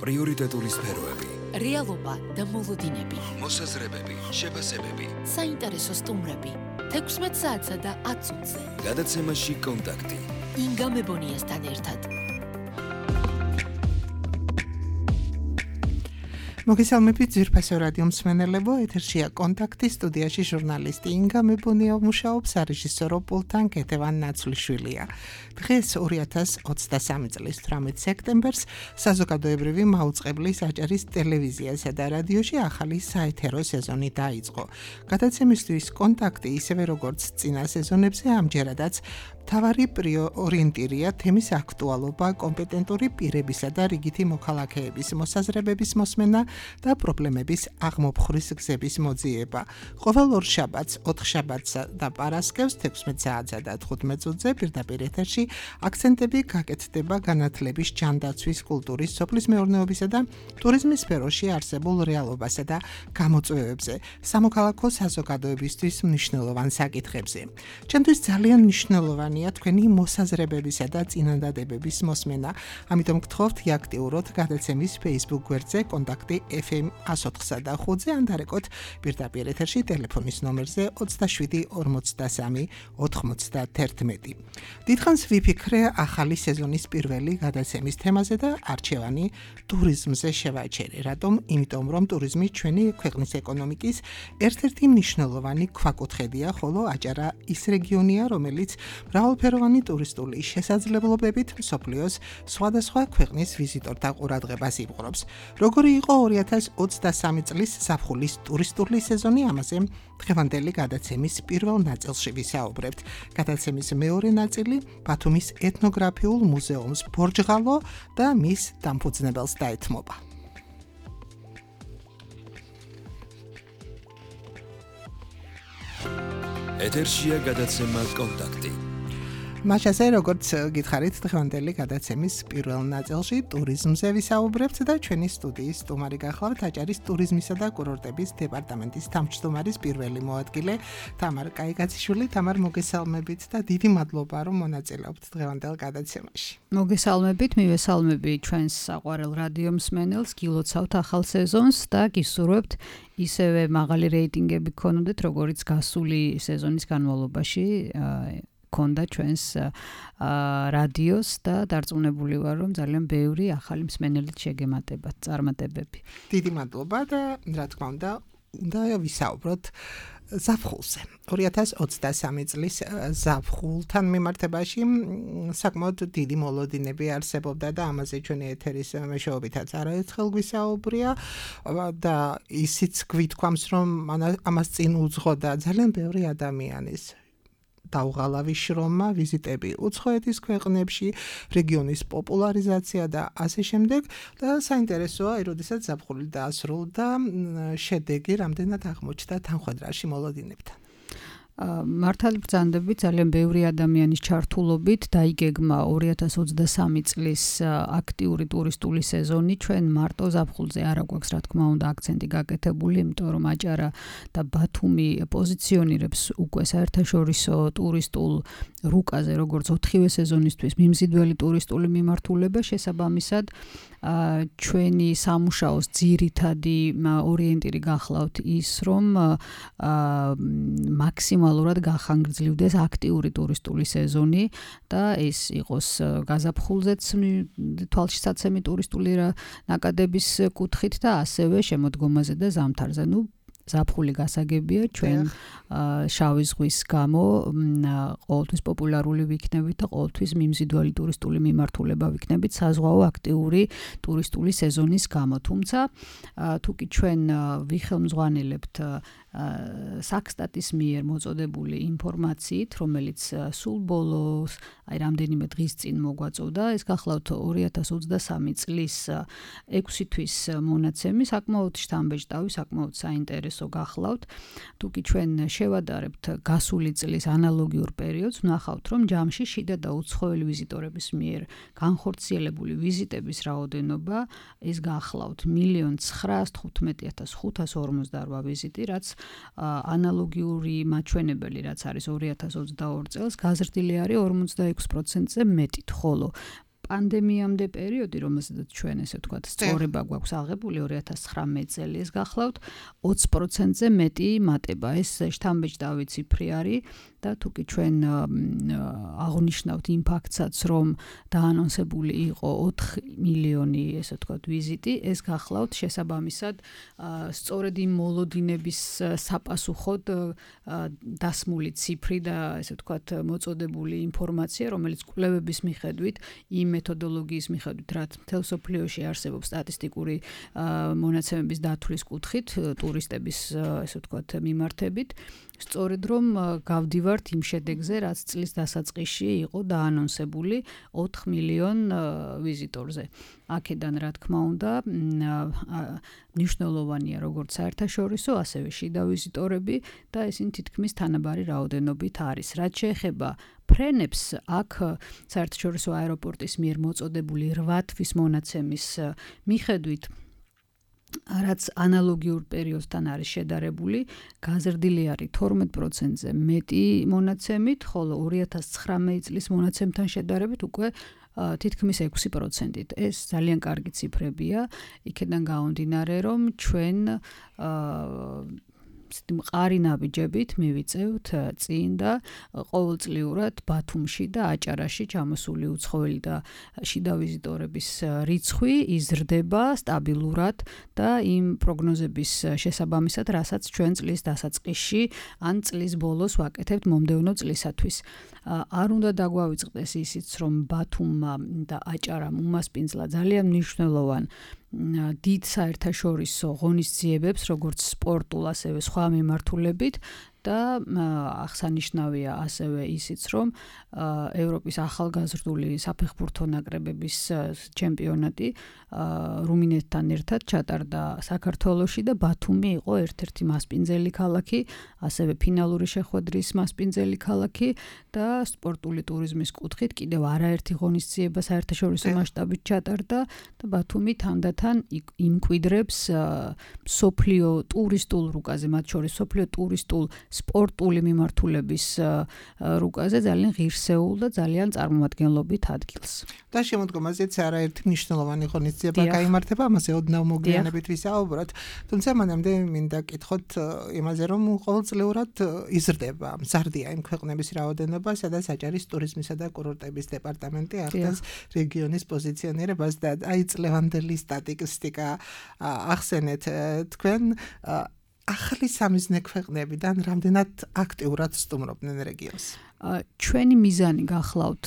პრიორიტეტული სფეროები, რეალობა და მოლოდინები, მოსაზრებები, შეფასებები, საინტერესო სტუმრები, 16 საათსა და 10 წუთზე. გადაცემაში კონტაქტი. ინგა მებონიასთან ერთად. მოგესალმებით ძვირფასო რადიო მსმენელებო, ეთერშია კონტაქტი, სტუდიაში ჟურნალისტი ინგა მებონია მუშაობს, რეჟისორო პულთან კეთევან ნაცვლიშვილია. დღეს 2023 წლის 18 სექტემბერს საზოგადოებრივი მაუწყებლის აჭარის ტელევიზიასა და რადიოში ახალი საეთერო სეზონი დაიწყო. გადაცემისთვის კონტაქტი ისევე როგორც წინა სეზონებზე ამჯერადაც მთავარი ორიენტირია თემის აქტუალობა, კომპეტენტური პირებისა და რიგითი მოქალაქეების მოსაზრებების მოსმენა და პრობლემების აღმოფხვრის გზების მოძიება. ყოველ ორ შაბათს, 4 შაბათსა და პარასკევს 16 საათსა და 15 წუთზე პირდაპირ ეთერში აქცენტები გაკეთდება განათლების, ჯანდაცვის, კულტურის, სოფლის მეურნეობისა და ტურიზმის სფეროში არსებულ რეალობასა და გამოწვევებზე, სამოქალაქო საზოგადოებისთვის მნიშვნელოვან საკითხებზე. ჩემთვის ძალიან მნიშვნელოვანია თქვენი მოსაზრებებისა და წინადადებების მოსმენა, ამიტომ გთხოვთ აქტიუროთ გადაცემის Facebook გვერდზე კონტაქტი FM 104-სა და 5-ზე ან დარეკოთ პირდაპირ ეთერში ტელეფონის ნომერზე 27 43 91. დიდხანს ვიფიქრე ახალი სეზონის პირველი გადაცემის თემაზე და არჩევანი ტურიზმზე შევაჩერე. რატომ? იმიტომ რომ ტურიზმი ჩვენი ქვეყნის ეკონომიკის ერთ-ერთი მნიშვნელოვანი ქვაკუთხედია, ხოლო აჭარა ის რეგიონია, რომელიც მრავალფეროვანი ტურისტული შესაძლებლობებით მსოფლიოს სხვადასხვა ქვეყნის ვიზიტორთა ყურადღებას იპყრობს. როგორი იყო 2023 წლის ზაფხულის ტურისტული სეზონი, ამაზე დღევანდელი გადაცემის პირველ ნაწილში ვისაუბრებთ. გადაცემის მეორე ნაწილი ბათუმის ეთნოგრაფიულ მუზეუმს ბორჯღალო და მის დამფუძნებელს დაეთმობა. ეთერშია გადაცემა კონტაქტი. მაშასე როგორც გითხარით დღევანდელი გადაცემის პირველ ნაწილში ტურიზმზე ვისაუბრებთ და ჩვენი სტუდიის სტუმარი გახლავთ აჭარის ტურიზმისა და კურორტების დეპარტამენტის თავმჯდომარის პირველი მოადგილე თამარ კაიგაციშვილი. თამარ, მოგესალმებით და დიდი მადლობა რომ მონაწილეობთ დღევანდელ გადაცემაში. მოგესალმებით, მივესალმები ჩვენს საყვარელ რადიო მსმენელს, გილოცავთ ახალ სეზონს და გისურვებთ ისევე მაღალი რეიტინგები გქონოდეთ, როგორც გასული სეზონის განმავლობაში ქონდა ჩვენს რადიოს და დარწმუნებული ვარ, რომ ძალიან ბევრი ახალი მსმენელით შეგემატებათ წარმატებები. დიდი მადლობა და რა თქმა უნდა ვისაუბროთ ზაფხულზე. 2023 წლის ზაფხულთან მიმართებაში საკმაოდ დიდი მოლოდინები არსებობდა და ამაზე ჩვენი ეთერის მეშვეობითაც არაერთხელ გვისაუბრია და ისიც გვითქვამს, რომ ამას წინ უძღოდა ძალიან ბევრი ადამიანის დაუღალავი შრომა, ვიზიტები უცხოეთის ქვეყნებში, რეგიონის პოპულარიზაცია და ასე შემდეგ და საინტერესოა, როდესაც ზაფხული დაასრულდა, შედეგი რამდენად აღმოჩნდა თანხმდრაში მოლოდინებთან. მართალი ბრძანდებით ძალიან ბევრი ადამიანის ჩართულობით დაიგეგმა 2023 წლის აქტიური ტურისტული სეზონი. ჩვენ მარტო ზაფხულზე არა გვაქვს რა თქმა უნდა აქცენტი გაკეთებული, იმიტომ რომ აჭარა და ბათუმი პოზიციონირებს უკვე საერთაშორისო ტურისტულ რუკაზე როგორც 4-ვე სეზონისთვის მიმზიდველი ტურისტული მიმართულება. შესაბამისად ჩვენი სამუშაოს ძირითადი ორიენტირი გახლავთ ის, რომ მაქსიმალურად გახანგრძლივდეს აქტიური ტურისტული სეზონი და ეს იყოს გაზაფხულზეც თვალშისაცემი ტურისტული ნაკადების კუთხით და ასევე შემოდგომაზე და ზამთარზე. ზაფხული გასაგებია, ჩვენ შავი ზღვის გამო ყოველთვის პოპულარული ვიქნებით და ყოველთვის მიმზიდველი ტურისტული მიმართულება ვიქნებით საზღვაო აქტიური ტურისტული სეზონის გამო. თუმცა თუკი ჩვენ ვიხელმძღვანელებთ საქსტატის მიერ მოწოდებული ინფორმაციით, რომელიც სულ ბოლოს, რამდენიმე დღის წინ მოგვაწოდა, ეს გახლავთ 2023 წლის 6 თვის მონაცემი, საკმაოდ შთამბეჭდავი, საკმაოდ საინტერესო გახლავთ. თუკი ჩვენ შევადარებთ გასული წლის ანალოგიურ პერიოდს, ვნახავთ, რომ ჯამში შიდა და უცხოელი ვიზიტორების მიერ განხორციელებული ვიზიტების რაოდენობა ეს გახლავთ 1,915,548 ვიზიტი, რაც ანალოგიური მაჩვენებელი, რაც არის 2022 წელს, გაზრდილი არის 46%-ზე მეტით, ხოლო პანდემიამდე პერიოდი, რომელზედაც ჩვენ ესე ვთქვათ, სწორება გვაქვს აღებული 2019 წელი ეს გახლავთ 20%-ზე მეტი მატება. ეს შთამბეჭდავი ციფრი არის და თუკი ჩვენ აღნიშნავთ იმ ფაქტსაც, რომ დაანონსებული იყო 4 მილიონი ესე ვთქვათ ვიზიტი, ეს გახლავთ შესაბამისად სწორედ იმ მოლოდინების საპასუხოდ დასმული ციფრი და ესე ვთქვათ მოწოდებული ინფორმაცია, რომელიც კვლევების მიხედვით, იმ მეთოდოლოგიის მიხედვით, რაც მთელ სოფლიოში არსებობს სტატისტიკური მონაცემების დათვლის კუთხით, ტურისტების ესე ვთქვათ მიმართებით, სწორედ რომ გავდივართ იმ შედეგზე, რაც წლის დასაწყისში იყო დაანონსებული 4 მილიონ ვიზიტორზე. აქედან რა თქმა უნდა მნიშვნელოვანია როგორც საერთაშორისო, ასევე შიდა ვიზიტორები და ისინი თითქმის თანაბარი რაოდენობით არის. რაც შეეხება ფრენებს, აქ საერთაშორისო აეროპორტის მიერ მოწოდებული 8 თვის მონაცემის მიხედვით რაც ანალოგიურ პერიოდთან არის შედარებული, გაზრდილი არის 12%-ზე მეტი მონაცემით, ხოლო 2019 წლის მონაცემთან შედარებით უკვე თითქმის 6%-ით. ეს ძალიან კარგი ციფრებია, იქედან გამომდინარე, რომ ჩვენ მყარი ნაბიჯებით მივიწევთ წინ და ყოველწლიურად ბათუმში და აჭარაში ჩამოსული უცხოელი და შიდა ვიზიტორების რიცხვი იზრდება სტაბილურად და იმ პროგნოზების შესაბამისად, რასაც ჩვენ წლის დასაწყისში ან წლის ბოლოს ვაკეთებთ მომდევნო წლისათვის. არ უნდა დაგვავიწყდეს ისიც, რომ ბათუმმა და აჭარამ უმასპინძლა ძალიან მნიშვნელოვან დიდ საერთაშორისო ღონისძიებებს, როგორც სპორტულ, ასევე სხვა მიმართულებით და აღსანიშნავია ასევე ისიც, რომ ევროპის ახალგაზრდული საფეხბურთო ნაკრებების ჩემპიონატი რუმინეთთან ერთად ჩატარდა საქართველოში და ბათუმი იყო ერთ-ერთი მასპინძელი ქალაქი, ასევე ფინალური შეხვედრის მასპინძელი ქალაქი და სპორტული ტურიზმის კუთხით კიდევ არაერთი ღონისძიება საერთაშორისო მასშტაბით ჩატარდა და ბათუმი თანდათან იმკვიდრებს სოფლიო ტურისტულ რუკაზე, მათ შორის სოფლიო ტურისტულ სპორტული მიმართულების რუკაზე ძალიან ღირსეულ და ძალიან წარმომადგენლობით ადგილს. და შემოდგომაზეც არაერთი მნიშვნელოვანი ღონისძიება გაიმართება, ამაზე ოდნავ მოგვიანებით ვისაუბროთ. თუმცა მანამდე მინდა კითხოთ იმაზე, რომ ყოველწლიურად იზრდება, მზარდია იმ ქვეყნების რაოდენობა, სადაც აჭარის ტურიზმისა და კურორტების დეპარტამენტი ახდენს რეგიონის პოზიციონირებას და აი წლევანდელი სტატისტიკა ახსენეთ თქვენ ახალი სამიზნე ქვეყნებიდან რამდენად აქტიურად სტუმრობდნენ რეგიონს? ჩვენი მიზანი გახლავთ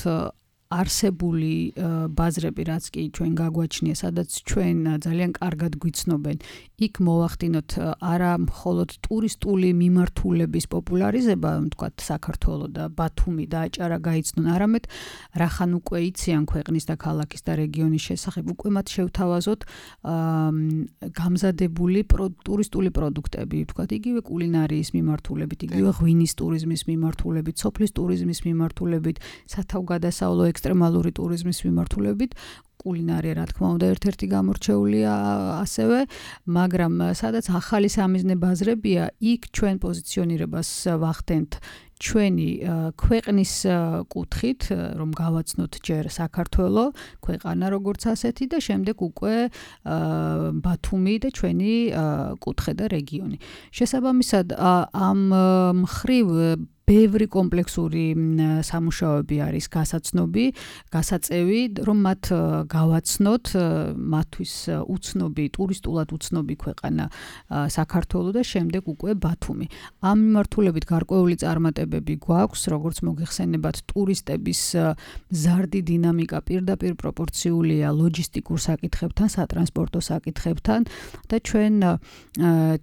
არსებული ბაზრები, რაც კი ჩვენ გაგვაჩნია, სადაც ჩვენ ძალიან კარგად გვიცნობენ, იქ მოვახდინოთ არა მხოლოდ ტურისტული მიმართულების პოპულარიზება, ვთქვათ, საქართველო და ბათუმი და აჭარა გაიცნონ, არამედ რახან უკვე იციან ქვეყნის და ქალაქის და რეგიონის შესახებ, უკვე მათ შევთავაზოთ გამზადებული ტურისტული პროდუქტები, ვთქვათ, იგივე კულინარიის მიმართულებით, იგივე ღვინის ტურიზმის მიმართულებით, სოფლის ტურიზმის მიმართულებით, სათავგადასავლო ექსტრემალური ტურიზმის მიმართულებით, კულინარია რა თქმა უნდა ერთ-ერთი გამორჩეულია ასევე, მაგრამ სადაც ახალი სამიზნე ბაზრებია, იქ ჩვენ პოზიციონირებას ვახდენთ ჩვენი ქვეყნის კუთხით, რომ გავაცნოთ ჯერ საქართველო, ქვეყანა როგორც ასეთი და შემდეგ უკვე ბათუმი და ჩვენი კუთხე და რეგიონი. შესაბამისად, ამ მხრივ ბევრი კომპლექსური სამუშაოები არის გასაწევი, რომ მათ გავაცნოთ, მათთვის უცნობი, ტურისტულად უცნობი ქვეყანა საქართველო და შემდეგ უკვე ბათუმი. ამ მიმართულებით გარკვეული წარმატებები გვაქვს, როგორც მოგეხსენებათ, ტურისტების მზარდი დინამიკა პირდაპირ პროპორციულია ლოჯისტიკურ საკითხებთან, სატრანსპორტო საკითხებთან და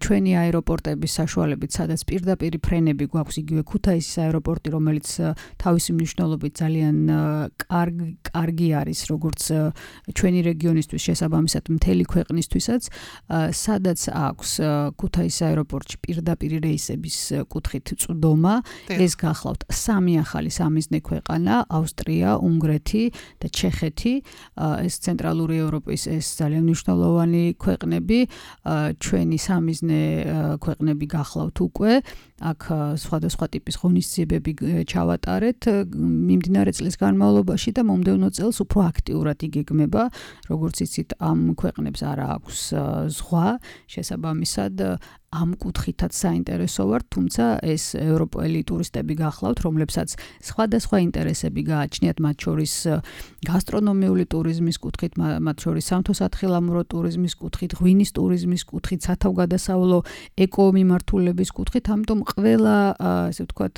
ჩვენი აეროპორტების საშუალებით, სადაც პირდაპირ ფრენები გვაქვს, იგივე ქუთაისის აეროპორტი, რომელიც თავისი მნიშვნელობით ძალიან კარგი არის, როგორც ჩვენი რეგიონისთვის, შესაბამისად მთელი ქვეყნისთვისაც, სადაც აქვს ქუთაისის აეროპორტში პირდაპირ რეისების კუთხით წვდომა, ეს გახლავთ 3 ახალი სამიზნე ქვეყანა, ავსტრია, უნგრეთი და ჩეხეთი, ეს ცენტრალური ევროპის ეს ძალიან მნიშვნელოვანი ქვეყნები, ჩვენი სამიზნე ქვეყნები გახლავთ უკვე, აქ სხვადასხვა ტიპის ღონისძიებები ჩავატარეთ მიმდინარე წლის განმავლობაში და მომდევნო წელს უფრო აქტიურად იგეგმება, როგორც იცით, ამ ქვეყნებს არ აქვს ზღვა, შესაბამისად ამ კუთხითაც საინტერესო ვარ, თუმცა ეს ევროპელი ტურისტები გახლავთ, რომლებსაც სხვადასხვა ინტერესები გააჩნიათ, მათ შორის გასტრონომიული ტურიზმის კუთხით, მათ შორის სამთო-სათხილამურო ტურიზმის კუთხით, ღვინის ტურიზმის კუთხით, სათავგადასავლო ეკომიმართულების კუთხით, ამიტომ ყველა, ესე ვთქვათ,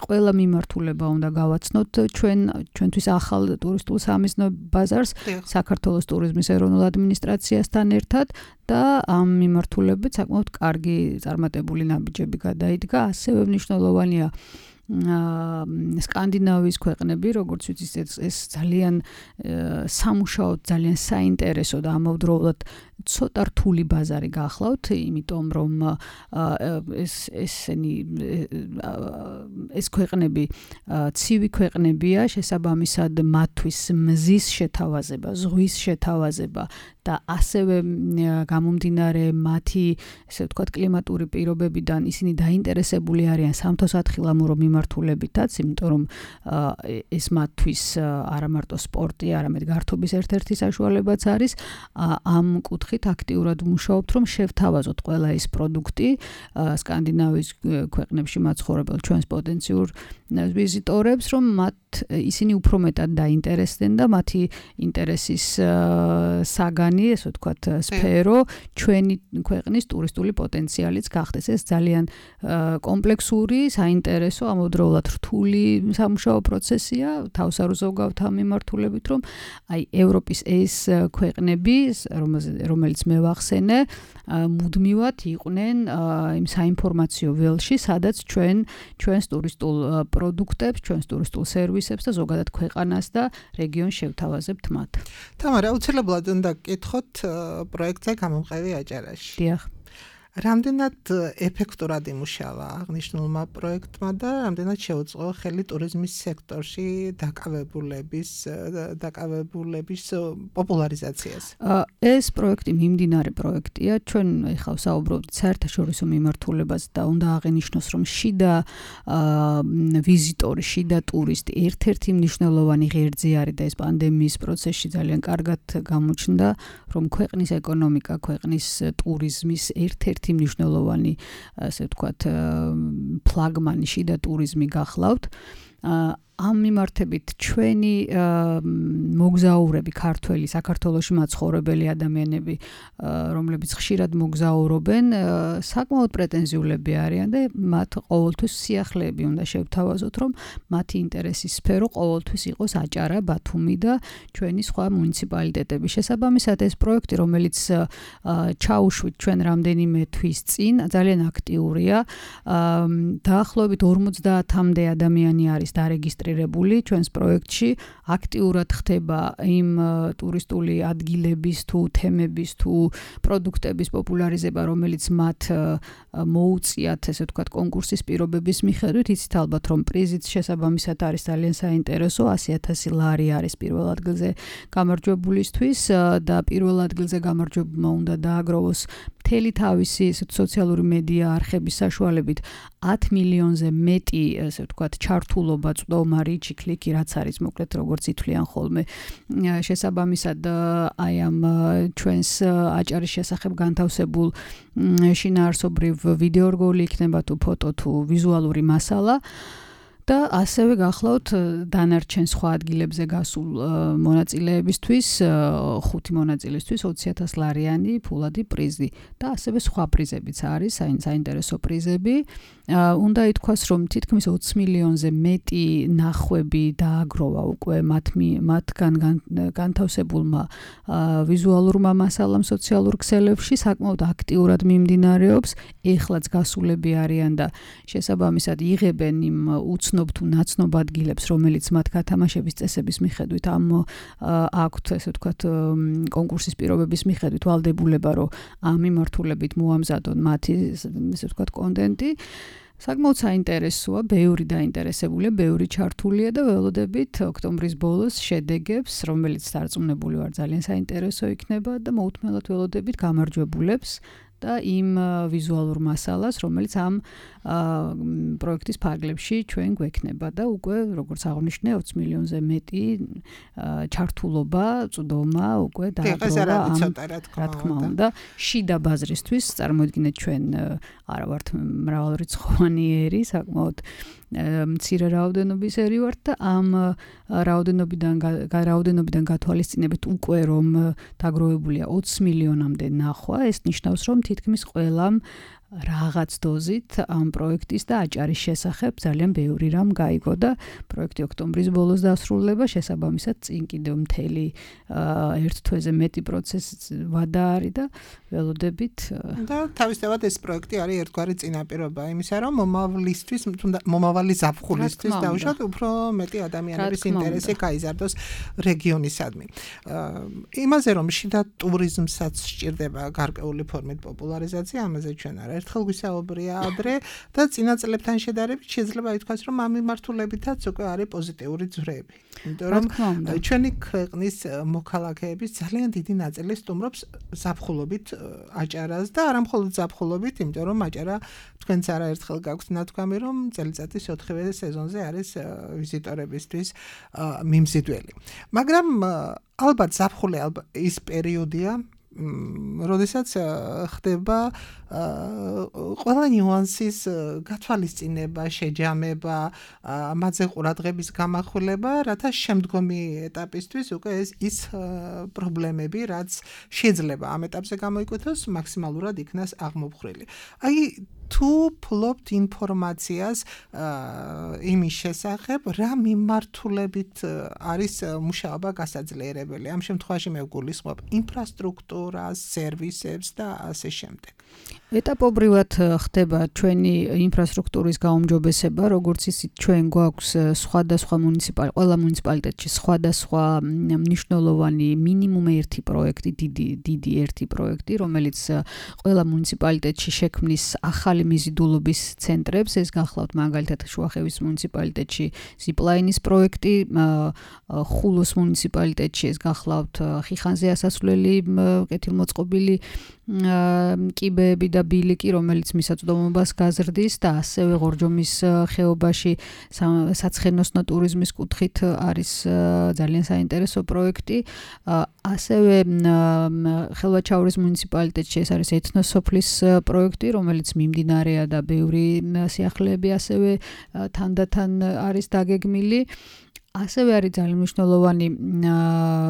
ყველა მიმართულება უნდა გავაცნოთ ჩვენთვის ახალ ტურისტულ სამიზნო ბაზარს, საქართველოს ტურიზმის ეროვნულ ადმინისტრაციასთან ერთად და ამ მიმართულებით საკმაოდ კარგი წარმატებული ნაბიჯები გადაიდგა, ასევე მნიშვნელოვანია სკანდინავიის ქვეყნები, როგორც ვიცით, ეს ძალიან სამუშაოდ, ძალიან საინტერესო და ამავდროულად ცოტა რთული ბაზარი გახლავთ, იმიტომ რომ ეს ქვეყნები ცივი ქვეყნებია, შესაბამისად მათთვის მზის შეთავაზება, ზღვის შეთავაზება და ასევე გამომდინარე მათი, ესე ვთქვათ, კლიმატური პირობებიდან ისინი დაინტერესებული არიან სამთო-სათხილამურო მიმართულებითაც, იმიტომ რომ ეს მათთვის არა მარტო სპორტი, არამედ გართობის ერთ-ერთი საშუალებაც არის. ამ კუთხით აქტიურად ვმუშაობთ, რომ შევთავაზოთ ყველა ის პროდუქტი სკანდინავიის ქვეყნებში მაცხოვრებელ ჩვენს პოტენციურ ვიზიტორებს, რომ ისინი უფრო მეტად დაინტერესდნენ და მათი ინტერესის საგანი, ესე ვთქვათ, სფერო ჩვენი ქვეყნის ტურისტული პოტენციალიც გახდეს. ეს ძალიან კომპლექსური, საინტერესო, ამავდროულად რთული სამუშაო პროცესია, თავს არ უზოგავთ ამ მიმართულებით, რომ აი ევროპის ეს ქვეყნები, რომელიც მე ვახსენე, მუდმივად იყვნენ იმ საინფორმაციო ველში, სადაც ჩვენს ტურისტულ პროდუქტებს, ჩვენს ტურისტულ სერვისებს და ზოგადად ქვეყანას და რეგიონს შევთავაზებთ მათ. თამარა, აუცილებლად უნდა გკითხოთ პროექტზე გამომყევი აჭარაში. დიახ. რამდენად ეფექტურად იმუშავა აღნიშნულმა პროექტმა და რამდენად შეუწყო ხელი ტურიზმის სექტორში დაკავებულების პოპულარიზაციას? ეს პროექტი მიმდინარე პროექტია. ჩვენ ახლა საუბრობთ საერთაშორისო მიმართულებაზე და უნდა აღინიშნოს, რომ შიდა ვიზიტორი, შიდა ტურისტი ერთ-ერთი მნიშვნელოვანი ღერძი არის და ეს პანდემიის პროცესში ძალიან კარგად გამოჩნდა, რომ ქვეყნის ეკონომიკა, ქვეყნის ტურიზმის ერთ-ერთი მნიშვნელოვანი, ასე ვთქვათ, ფლაგმანი შიდა ტურიზმი გახლავთ. ამ მიმართებით ჩვენი მოგზაურები, ქართველი, საქართველოში მაცხოვრებელი ადამიანები, რომლებიც ხშირად მოგზაურობენ, საკმაოდ პრეტენზიულები არიან და მათ ყოველთვის სიახლეები უნდა შევთავაზოთ, რომ მათი ინტერესის სფერო ყოველთვის იყოს აჭარა, ბათუმი და ჩვენი სხვა მუნიციპალიტეტები. შესაბამისად, ეს პროექტი, რომელიც ჩაუშვით ჩვენ რამდენიმე თვის წინ, ძალიან აქტიურია. დაახლოებით 50-მდე ადამიანი არის დარეგისტრირებული ჩვენს პროექტში, აქტიურად ხდება იმ ტურისტული ადგილების თუ თემების თუ პროდუქტების პოპულარიზება, რომელიც მათ მოუწიათ, ესე ვთქვათ, კონკურსის პირობების მიხედვით. იცით ალბათ, რომ პრიზიც შესაბამისად არის ძალიან საინტერესო, 100,000 ლარი არის პირველ ადგილზე გამარჯვებულისთვის და პირველ ადგილზე გამარჯვებულმა უნდა დააგროვოს მთელი თავისი სოციალური მედია არხების საშუალებით 10 მილიონზე მეტი, ესე ვთქვათ, ჩართულობა, წვდომა, რიჩი, კლიკი, რაც არის მოკლედ როგორც ითვლიან ხოლმე. შესაბამისად, აი ამ ჩვენს აჭარის შესახებ განთავსებულ შინაარსობრივ ვიდეორგოლი იქნება თუ ფოტო თუ ვიზუალური მასალა. და ასევე გახლავთ დანარჩენ სხვა ადგილებზე გასულ მონაწილეებისთვის, 5 მონაწილისთვის 20,000 ლარიანი ფულადი პრიზი და ასევე სხვა პრიზებიც არის, საინტერესო პრიზები. უნდა ითქვას, რომ თითქმის 20 მილიონზე მეტი ნახვები დააგროვა უკვე მათგან განთავსებულმა ვიზუალურმა მასალამ სოციალურ ქსელებში, საკმაოდ აქტიურად მიმდინარეობს, ეხლაც გასულები არიან და შესაბამისად იღებენ იმ უცნობ თუ ნაცნობ ადგილებს, რომელიც მათ გათამაშების წესების მიხედვით აქვთ, ესე ვთქვათ, კონკურსის პირობების მიხედვით ვალდებულება, რომ ამ მიმართულებით მოამზადონ მათი, ესე ვთქვათ, კონტენტი. საკმაოდ საინტერესოა, ბევრი დაინტერესებულია, ბევრი ჩართულია და ველოდებით ოქტომბრის ბოლოს შედეგებს, რომელიც დარწმუნებული ვარ ძალიან საინტერესო იქნება და მოუთმენლად ველოდებით გამარჯვებულებს და იმ ვიზუალურ მასალას, რომელიც ამ პროექტის ფარგლებში ჩვენ გვექნება და უკვე როგორც აღნიშნე 20 მილიონზე მეტი ჩართულობა, წვდომა უკვე დააგროვა რა თქმა უნდა შიდა ბაზრისთვის წარმოიდგინეთ ჩვენ არა ვართ მრავალრიცხოვანი ერი, საკმაოდ მცირე რაოდენობის ერი ვართ და ამ რაოდენობიდან გათვალისწინებით უკვე რომ დაგროვებულია 20 მილიონამდე ნახვა, ეს ნიშნავს რომ თითქმის ყველამ რაღაც დოზით ამ პროექტის და აჭარის შესახებ ძალიან ბევრი რამ გაიგო და პროექტი ოქტომბრის ბოლოს დასრულდება, შესაბამისად წინ კიდევ მთელი ერთ თვეზე მეტი პროცესი ვადა არის და ველოდებით და თავისთავად ეს პროექტი არის ერთგვარი წინაპირობა იმისა, რომ მომავალი ზაფხულისთვის დაუშვათ უფრო მეტი ადამიანების ინტერესი გაიზარდოს რეგიონისადმი. იმაზე რომ შიდა ტურიზმსაც სჭირდება გარკვეული ფორმით პოპულარიზაცია, ამაზე ჩვენ ერთხელ გვისაუბრია ადრე და წინა წლებთან შედარებით შეიძლება ითქვას, რომ ამ მიმართულებითაც უკვე არის პოზიტიური ძვრები. იმიტომ რომ ჩვენი ქვეყნის მოქალაქეების ძალიან დიდი ნაწილი სტუმრობს ზაფხულობით აჭარას და არა მხოლოდ ზაფხულობით, იმიტომ რომ აჭარა თქვენც არაერთხელ გაქვთ ნათქვამი, რომ წელიწადის 4-ვე სეზონზე არის ვიზიტორებისთვის მიმზიდველი. მაგრამ ალბათ ზაფხული ის პერიოდია, როდესაც ხდება ყველა ნიუანსის გათვალისწინება, შეჯამება, მათზე ყურადღების გამახვილება, რათა შემდგომი ეტაპისთვის უკვე ის პრობლემები, რაც შეიძლება ამ ეტაპზე გამოიკვეთოს, მაქსიმალურად იქნას აღმოფხვრილი. აი თუ ფლობთ ინფორმაციას იმის შესახებ, რა მიმართულებით არის მუშაობა გასაძლიერებელი. ამ შემთხვევაში მე ვგულისხმობ ინფრასტრუქტურას, სერვისებს და ასე შემდეგ. ეტაპობრივად ხდება ჩვენი ინფრასტრუქტურის გაუმჯობესება, როგორც ისიც ჩვენ გვაქვს სხვადასხვა ყველა მუნიციპალიტეტში სხვადასხვა მნიშვნელოვანი მინიმუმ ერთი პროექტი, დიდი ერთი პროექტი, რომელიც ყველა მუნიციპალიტეტში შექმნის ახალი მიზიდულობის ცენტრებს, ეს გახლავთ მაგალითად შუახევის მუნიციპალიტეტში ზიპლაინის პროექტი, ხულოს მუნიციპალიტეტში ეს გახლავთ ხიხანზე ასასვლელი კეთილმოწყობილი კიბეები და ბილიკი, რომელიც მისაწვდომობას გაზრდის და ასევე ღორჯომის ხეობაში საცხენოსნო ტურიზმის კუთხით არის ძალიან საინტერესო პროექტი. ასევე ხელვაჩაურის მუნიციპალიტეტში ეს არის ეთნოსოფლის პროექტი, რომელიც მიმდინარეა და ბევრი სიახლეები ასევე თანდათან არის დაგეგმილი. ასევე არის ძალიან მნიშვნელოვანი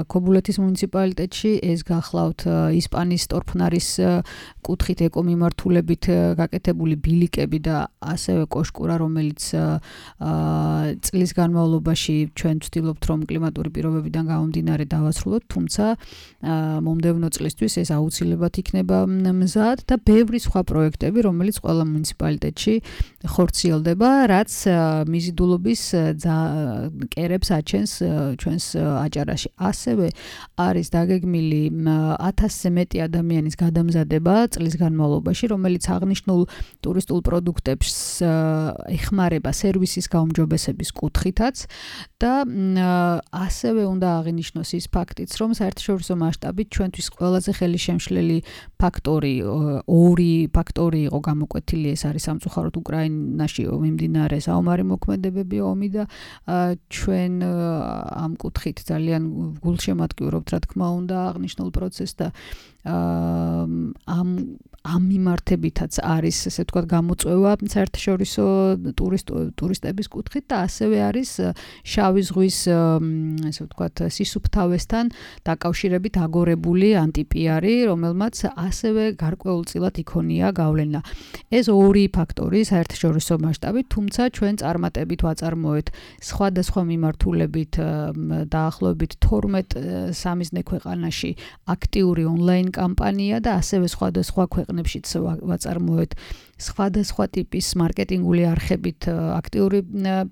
ქობულეთის მუნიციპალიტეტში, ეს გახლავთ ისპანის ტორფნარის კუთხით ეკომიმართულებით გაკეთებული ბილიკები და ასევე კოშკურა, რომელიც წლის განმავლობაში ჩვენ ვცდილობთ, რომ კლიმატური პირობებიდან გამომდინარე დავასრულოთ, თუმცა მომდევნო წლისთვის ეს აუცილებლად იქნება მზად და ბევრი სხვა პროექტები, რომელიც ყველა მუნიციპალიტეტში ხორციელდება, რაც მიზიდულობის კერებს აჩენს ჩვენს აჭარაში. ასევე არის დაგეგმილი 1000-ზე მეტი ადამიანის გადამზადება წლის განმავლობაში, რომელიც აღნიშნულ ტურისტულ პროდუქტებს ეხმარება სერვისის გაუმჯობესების კუთხითაც და ასევე უნდა აღინიშნოს ის ფაქტიც, რომ საერთაშორისო მასშტაბით ჩვენთვის ყველაზე ხელისშემშლელი ორი ფაქტორი იყო გამოკვეთილი, ეს არის სამწუხაროდ უკრაინაში მიმდინარე საომარი მოქმედებები, ომი და ჩვენ ამ კუთხით ძალიან გულშემატკივრობთ, რა თქმა უნდა, აღნიშნულ პროცესს და ამ მიმართებითაც არის, ესე ვთქვათ, გამოწვევა საერთაშორისო ტურისტების კუთხით და ასევე არის შავი ზღვის, ესე ვთქვათ, სისუფთავესთან დაკავშირებით აგორებული ანტიპიარი, რომელმაც ასევე გარკვეულწილად იქონია გავლენა. ეს ორი ფაქტორი საერთაშორისო მასშტაბით, თუმცა ჩვენ წარმატებით ვაწარმოეთ სხვადასხვა მიმართულებით დაახლოებით 12 სამიზნე ქვეყანაში აქტიური ონლაინ კამპანია და ასევე სხვადასხვა ქვეყნებშიც ვაწარმოეთ სხვადასხვა ტიპის მარკეტინგული არხებით აქტიური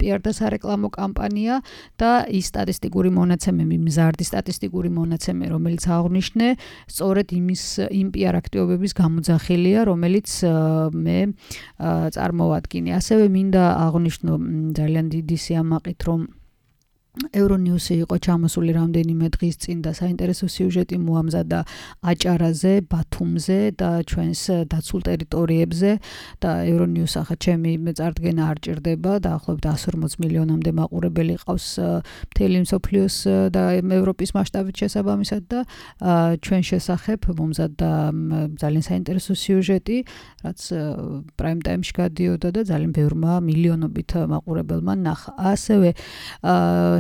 PR და სარეკლამო კამპანია და ის სტატისტიკური მონაცემები, მზარდი სტატისტიკური მონაცემები, რომელიც აღნიშნე, სწორედ იმ PR აქტივობების გამოძახილია, რომელიც მე წარმოვადგინე. ასევე მინდა აღნიშნო ძალიან დიდი სიამაყით, რომ Euronews-ი იყო ჩამოსული რამდენიმე დღის წინ და საინტერესო სიუჟეტი მოამზადა აჭარაზე, ბათუმზე და ჩვენს დაცულ ტერიტორიებზე და Euronews ახლა ჩემი წარდგენა არ ჭირდება და ახლობთ 140 მილიონამდე მაყურებელი ყავს მთელი მსოფლიოს და ევროპის მასშტაბით შესაბამისად და ჩვენ შესახებ მომზადდა ძალიან საინტერესო სიუჟეტი, რაც prime time-ში გადიოდა და ძალიან ბევრმა მილიონობით მაყურებელმა ნახა. ასევე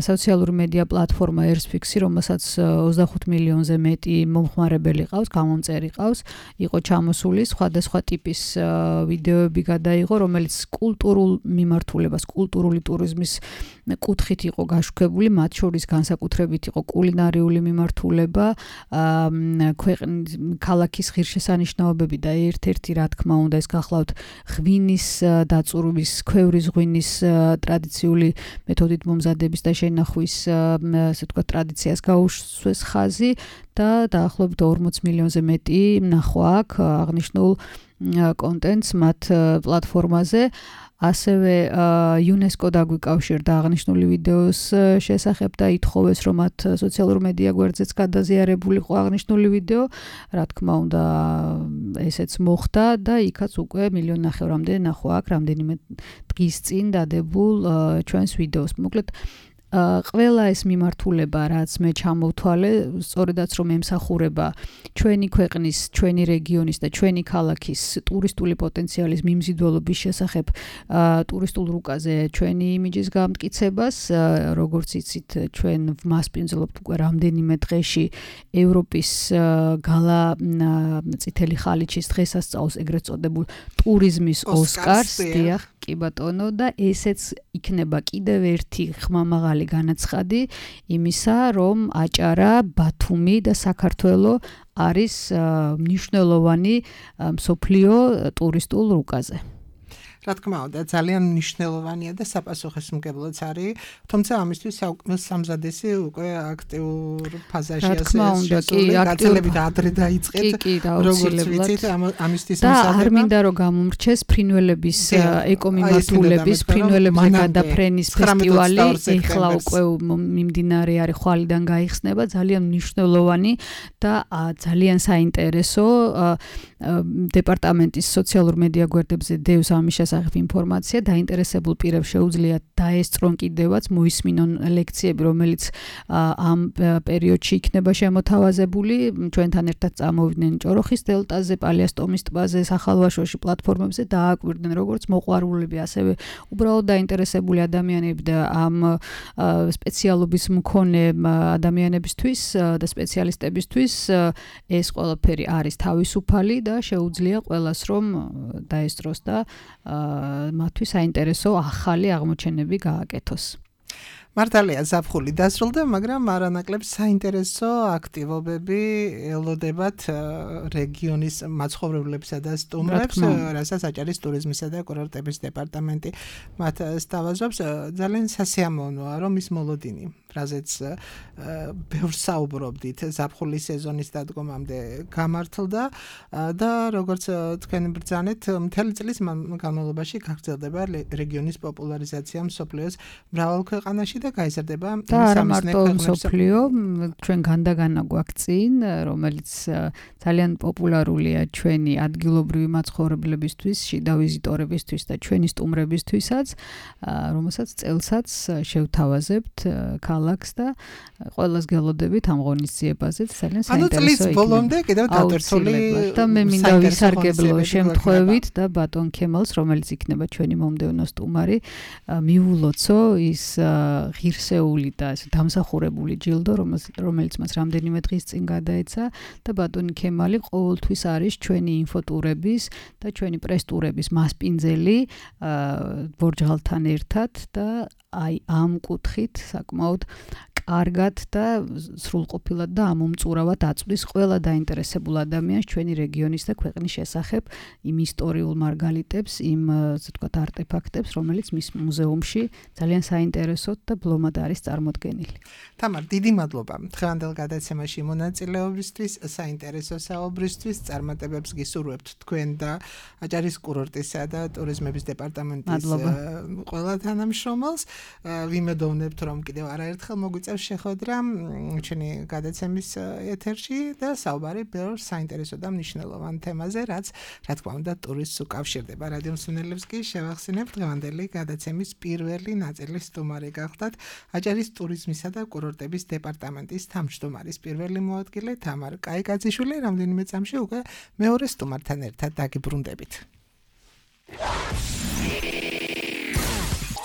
სოციალური მედია პლატფორმა Earthfix-ი, რომელსაც 25 მილიონზე მეტი მომხმარებელი ყავს, გამომწერი ყავს, იყო ჩამოსული სხვადასხვა ტიპის ვიდეოები გადაიღო, რომელიც კულტურულ მიმართულებას, კულტურული ტურიზმის კუთხით იყო გაშუქებული, მათ შორის განსაკუთრებით იყო კულინარიული მიმართულება, ქალაქის ღირსშესანიშნაობები და ერთ-ერთი რა თქმა უნდა ეს გახლავთ ღვინის დაწურვის, ქვევრის ღვინის ტრადიციული მეთოდით მომზადების და შენახვის ასე ვთქვათ ტრადიციას გაუსვეს ხაზი და დაახლოებით 40 მილიონზე მეტი ნახვა აქვს აღნიშნულ კონტენტს მათ პლატფორმაზე. ასევე UNESCO დაგვიკავშირდა აღნიშნული ვიდეოს შესახებ და ითხოვეს რომ მათ სოციალურ მედია გვერდზეც გადაზიარებულიყო აღნიშნული ვიდეო, რა თქმა უნდა ესეც მოხდა და იქაც უკვე 1.5 მილიონამდე ნახვა აქვს რამდენიმე დღის წინ დადებულ ჩვენს ვიდეოს. მოკლედ ყველა ეს მიმართულება რაც მე ჩამოვთვალე, სწორედაც რომ ემსახურება ჩვენი ქვეყნის, ჩვენი რეგიონის და ჩვენი ქალაქის ტურისტული პოტენციალის მიმზიდველობის შესახებ ტურისტულ რუკაზე ჩვენი იმიჯის გამტკიცებას, როგორც იცით, ჩვენ ვმასპინძლობთ უკვე რამდენიმე დღეში ევროპის გალა წითელი ხალიჩის დღესასწაულს, ეგრეთ წოდებულ ტურიზმის ოსკარს, დიახ, კი ბატონო და ესეც იქნება კიდევ ერთი ხმამაღალი განაცხადი იმისა, რომ აჭარა, ბათუმი და საქართველო არის მნიშვნელოვანი მსოფლიო ტურისტულ რუკაზე. რა თქმა უნდა, ძალიან მნიშვნელოვანია და საპასუხისმგებლოც არის, თუმცა ამისთვის სამზადისი უკვე აქტიურ ფაზაში გაცილებით ადრე დაიწყეთ, როგორც ვიცით, ამისთვის და არ მინდა რომ გამომრჩეს ფრინველების ეკომიმართულების, ფრინველებზე გადაფრენის ფესტივალი, ეხლა უკვე მიმდინარე არის, ხვალიდან გაიხსნება, ძალიან მნიშვნელოვანი და ძალიან საინტერესო დეპარტამენტის სოციალურ მედია გვერდებზე დევს ამის შესახებ ინფორმაცია, დაინტერესებულ პირებს შეუძლიათ დაესწრონ კიდევაც, მოისმინონ ლექციები, რომელიც ამ პერიოდში იქნება შემოთავაზებული, ჩვენთან ერთად წამოვიდნენ ჭოროხის დელტაზე, პალიასტომის ტბაზე, სახალვაშოში პლატფორმებზე დააკვირდნენ როგორც მოყვარულები, ასევე უბრალოდ დაინტერესებული ადამიანები და ამ სპეციალობის მქონე ადამიანებისთვის და სპეციალისტებისთვის ეს ყველაფერი არის თავისუფალი და შეუძლია ყველას რომ დაესწროს და მათთვის საინტერესო ახალი აღმოჩენები გააკეთოს. მართალია ზაფხული დასრულდა, მაგრამ არანაკლებ საინტერესო აქტივობები ელოდებათ რეგიონის მაცხოვრებლებსა და სტუმრებს, რასაც აჭარის ტურიზმისა და კურორტების დეპარტამენტი მათ სთავაზობს. ძალიან სასიამოვნოა, რომ ის მოლოდინი, რაზეც ბევრს საუბრობდით, ზაფხულის სეზონის დადგომამდე გამართლდა და როგორც თქვენ ბრძანეთ, მთელი წლის განმავლობაში გაგრძელდება რეგიონის პოპულარიზაცია მსოფლიოს მრავალ ქვეყანაში და გაიზარდება სამიზნე მსოფლიო, ჩვენ განდაგანა გვაქვს წინ, რომელიც ძალიან პოპულარულია ჩვენი ადგილობრივი მაცხოვრებლებისთვის, შიდა ვიზიტორებისთვის და ჩვენი სტუმრებისთვისაც, რომელსაც წელსაც შევთავაზებთ ქალაქს და ყველას გელოდებით ამ ღონისძიებაზე, ძალიან საინტერესო იქნება. ანუ წლის ბოლომდე კიდევ დატვირთული და მე მინდა ვისარგებლო შემთხვევით და ბატონ ქემალს, რომელიც იქნება ჩვენი მომდევნო სტუმარი, მიულოცო ის ღირსეული და დამსახურებული ჯილდო, რომელიც მას რამდენიმე დღის წინ გადაეცა და ბატონი ქემალი ყოველთვის არის ჩვენი ინფოტურების და ჩვენი პრესტურების მასპინძელი ბორჯღალთან ერთად და აი ამ კუთხით საკმაოდ კარგად და სრულყოფილად და ამომწურავად აწვდის ყველა დაინტერესებულ ადამიანს ჩვენი რეგიონის და ქვეყნის შესახებ იმ ისტორიულ მარგალიტებს, იმ ასე ვთქვათ არტეფაქტებს, რომელიც მის მუზეუმში ძალიან საინტერესოდ და ბლომად არის წარმოდგენილი. თამარ, დიდი მადლობა დღევანდელ გადაცემაში მონაწილეობისთვის, საინტერესო საუბრისთვის, წარმატებებს გისურვებთ თქვენ და აჭარის კურორტისა და ტურიზმების დეპარტამენტის ყველა თანამშრომელს. ვიმედოვნებთ, რომ კიდევ არაერთხელ მოგვიწევს შეხვედრა ჩვენი გადაცემის ეთერში და საუბარი ბევრ საინტერესო და მნიშვნელოვან თემაზე, რაც რა თქმა უნდა ტურიზმს უკავშირდება. რადიო მსმენელებს კი შევახსენებთ დღევანდელი გადაცემის პირველი ნაწილის სტუმარი გახდათ აჭარის ტურიზმისა და კურორტების დეპარტამენტის თავმჯდომარის პირველი მოადგილე თამარ კაიკაძიშვილი. რამდენიმე წამში უკვე მეორე სტუმართან ერთად დაგიბრუნდებით.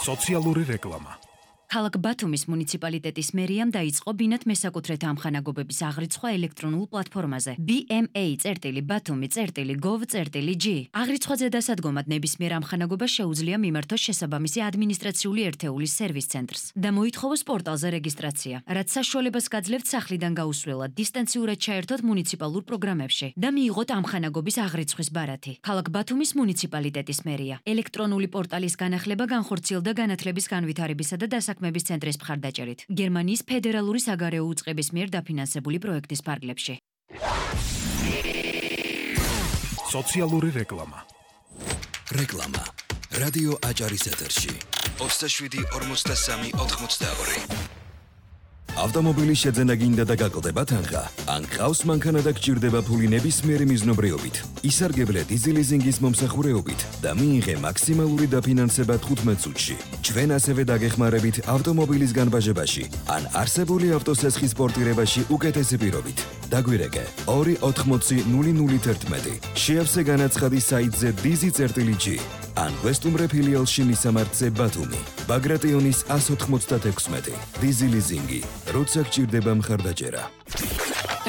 სოციალური რეკლამა. ქალაქ ბათუმის მუნიციპალიტეტის მერიამ დაიწყო ბინათ მესაკუთრეთა ამხანაგობების აღრიცხვა ელექტრონულ პლატფორმაზე bma.batumi.gov.g. აღრიცხვაზე დასადგომად ნებისმიერ ამხანაგობას შეუძლია მიმართოს შესაბამისი ადმინისტრაციული ერთეულის სერვის ცენტრს და მოითხოვოს პორტალზე რეგისტრაცია, რაც საშუალებას გაძლევთ სახლიდან გაუსვლელად დისტანციურად ჩაერთოთ მუნიციპალურ პროგრამებში და მიიღოთ ამხანაგობის აღრიცხვის ბარათი. ქალაქ ბათუმის მუნიციპალიტეტის მერია ელექტრონული პორტალის განახლება განხორციელდა განათლების განვითარებისა და დასაქმების ცენტრის მხარდაჭერით გერმანიის ფედერალური საგარეო უწყების მიერ დაფინანსებული პროექტის ფარგლებში. სოციალური რეკლამა. რეკლამა. რადიო აჭარის ეთერში. 27-43-82. ავტომობილის შეძენა გინდა და გაკლდება თანხა? ან ყავს მანქანა და გჭირდება ფული ნებისმიერი მიზნობრიობით, ისარგებლე დიზელიზინგის მომსახურეობით და მიიღე მაქსიმალური დაფინანსება 15 წუთში. ჩვენ ასევე დაგეხმარებით ავტომობილის განბაჟებაში ან არსებული ავტოსესხის პორტირებაში უკეთესი პირობით. დაგვირეკე 280-0011. შეავსე განაცხადი საიტზე dizi.g ან ვესტუმრე ფილიალში მისამართზე ბათუმი. ბაგრატიონის 196. დიზელიზინგი. როცა გჭირდება მხარდაჭერა.